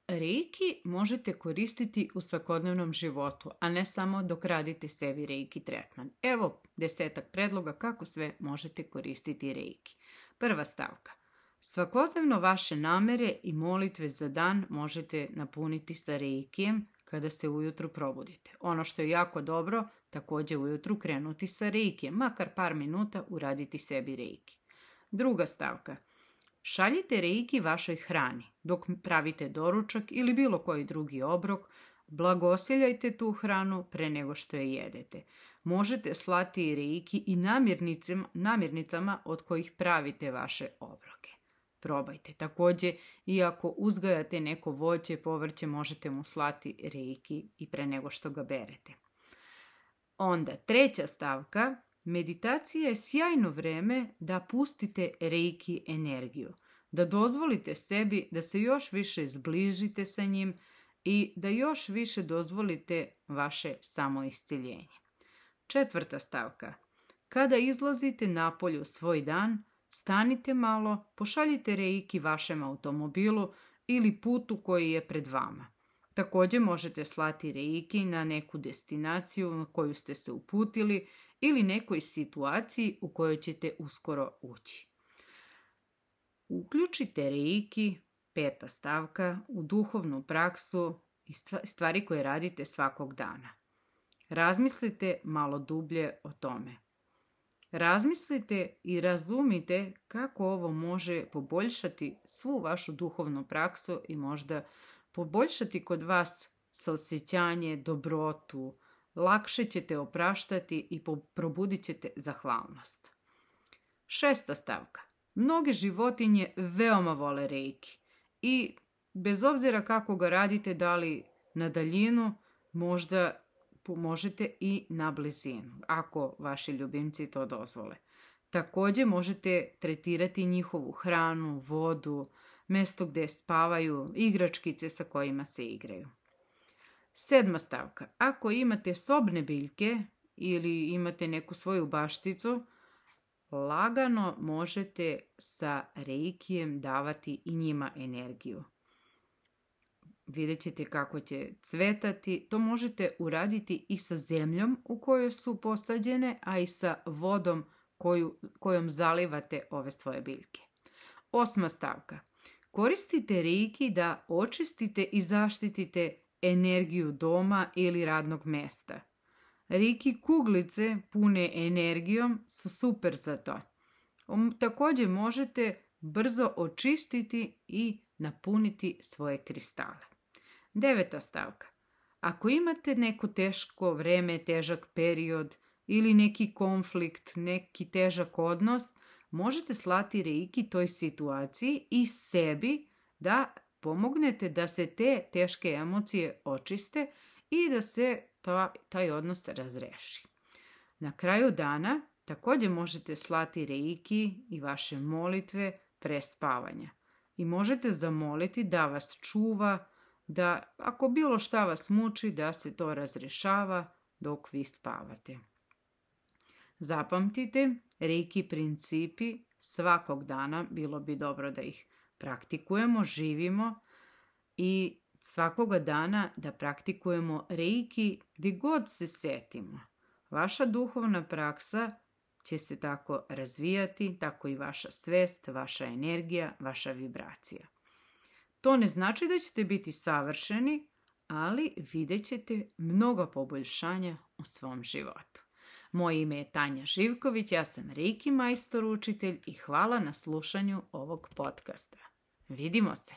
Reiki možete koristiti u svakodnevnom životu, a ne samo dok radite sebi Reiki tretman. Evo 10 predloga kako sve možete koristiti Reiki. Prva stavka. Svakodnevno vaše namere i molitve za dan možete napuniti sa Reikijem kada se ujutru probudite. Ono što je jako dobro, također ujutru krenuti sa Reikijem, makar par minuta uraditi sebi Reiki. Druga stavka. Šaljite Reiki vašoj hrani. Dok pravite doručak ili bilo koji drugi obrok, blagosiljajte tu hranu pre nego što je jedete. Možete slati Reiki i namirnicama od kojih pravite vaše obroke. Probajte. Također, iako uzgajate neko voće i povrće, možete mu slati Reiki i pre nego što ga berete. Onda, treća stavka. Meditacija je sjajno vreme da pustite Reiki energiju, da dozvolite sebi da se još više zbližite sa njim i da još više dozvolite vaše samoisciljenje. Četvrta stavka. Kada izlazite napolje u svoj dan, stanite malo, pošaljite Reiki vašem automobilu ili putu koji je pred vama. Također možete slati Reiki na neku destinaciju na koju ste se uputili ili nekoj situaciji u kojoj ćete uskoro ući. Uključite Reiki, peta stavka, u duhovnu praksu i stvari koje radite svakog dana. Razmislite malo dublje o tome. Razmislite i razumite kako ovo može poboljšati svu vašu duhovnu praksu i možda poboljšati kod vas saosjećanje, dobrotu, lakše ćete opraštati i probudit ćete zahvalnost. Šesta stavka. Mnoge životinje veoma vole Reiki i bez obzira kako ga radite, da li na daljinu, možda možete i na blizinu, ako vaši ljubimci to dozvole. Također možete tretirati njihovu hranu, vodu, mjesto gdje spavaju, igračkice sa kojima se igraju. Sedma stavka. Ako imate sobne biljke ili imate neku svoju bašticu, lagano možete sa Reikijem davati i njima energiju. Vidjet ćete kako će cvetati. To možete uraditi i sa zemljom u kojoj su posađene, a i sa vodom kojom zalivate ove svoje biljke. Osma stavka. Koristite Reiki da očistite i zaštitite energiju doma ili radnog mjesta. Reiki kuglice pune energijom su super za to. Također možete brzo očistiti i napuniti svoje kristale. Deveta stavka. Ako imate neko teško vreme, težak period ili neki konflikt, neki težak odnos, možete slati Reiki toj situaciji i sebi da pomognete da se te teške emocije očiste i da se taj odnos razreši. Na kraju dana također možete slati Reiki i vaše molitve pre spavanja. I možete zamoliti da vas čuva, da ako bilo šta vas muči, da se to razrešava dok vi spavate. Zapamtite, Reiki principi svakog dana bilo bi dobro da ih praktikujemo, živimo i svakoga dana da praktikujemo Reiki gdje god se setimo. Vaša duhovna praksa će se tako razvijati, tako i vaša svest, vaša energija, vaša vibracija. To ne znači da ćete biti savršeni, ali vidjet ćete mnogo poboljšanja u svom životu. Moje ime je Tanja Živković, ja sam Reiki majstor učitelj i hvala na slušanju ovog podcasta. Vidimo se!